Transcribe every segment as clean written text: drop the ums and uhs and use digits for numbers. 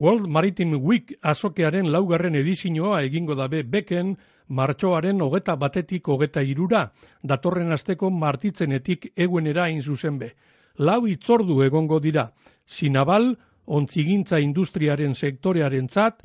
World Maritime Week azokearen laugarren edizioa egingo dabe Beken martxoaren 21-23, datorren asteko martitzenetik eguenera hain zuzen be. 4 hitzordu egongo dira, Sinabal, ontzigintza industriaren sektorearentzat,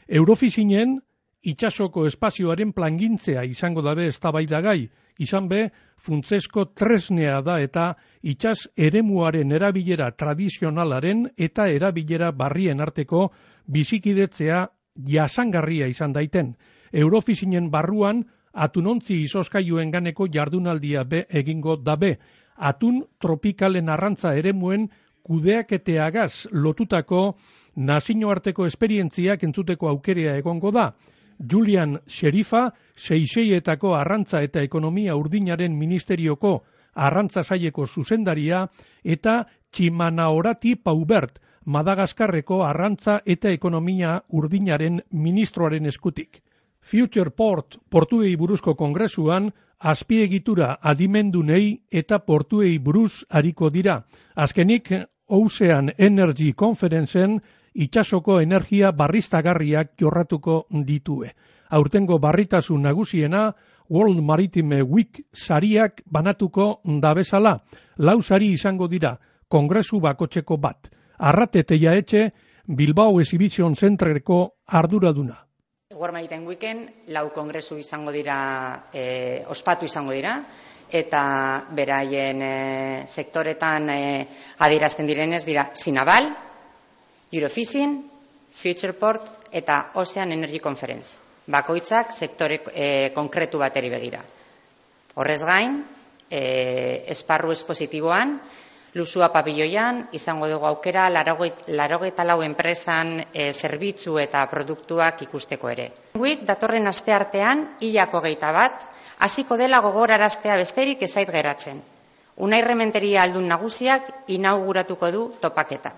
Eurofishingen itsasoko espazioaren plangintzea izango dabe eztabaidagai, izan be, funtzesko tresnea da eta itsas eremuaren erabilera tradizionalaren eta erabilera barrien arteko bizikidetzea jasangarria izan daiten. Eurofishingen barruan atunontzi izoskailuen ganeko jardunaldia be egingo dabe, atun tropikalen arrantza eremuen kudeaketeagaz lotutako nazioarteko esperientziak entzuteko aukerea egongo da. Julian Sherifa, Seychelletako arrantza eta ekonomia urdinaren ministerioko arrantza saileko zuzendaria eta Chimanaorati Paubert, Madagaskarreko arrantza eta ekonomia urdinaren ministroaren eskutik. Future Port portuei buruzko kongresuan azpiegitura adimendunei eta portuei buruz ariko dira. Azkenik, Ocean Energy Conferencen itsasoko energia barriztagarriak jorratuko ditue. Aurtengo barritasun nagusiena World Maritime Week sariak banatuko dabezala. 4 sari izango dira, kongresu bakotzeko bat. Arrate Teiaetxe, Bilbao Exhibition Centreko arduraduna. World Maritime Weeken 4 kongresu izango dira, ospatu izango dira, eta beraien sektoretan adierazten direnez dira Sinabal, Eurofishing, Future Port eta Ocean Energy Conference. Bakoitzak sektore konkretu bateri begira. Horrez gain, esparru espositiboan, Lusua pabiloian, izango dugu aukera 84 enpresan zerbitzu eta produktuak ikusteko ere. Week datorren asteartean, hilako 21, hasiko dela gogoraraztea besterik ez zait geratzen. Unai Rementeria aldun nagusiak inauguratuko du topaketa.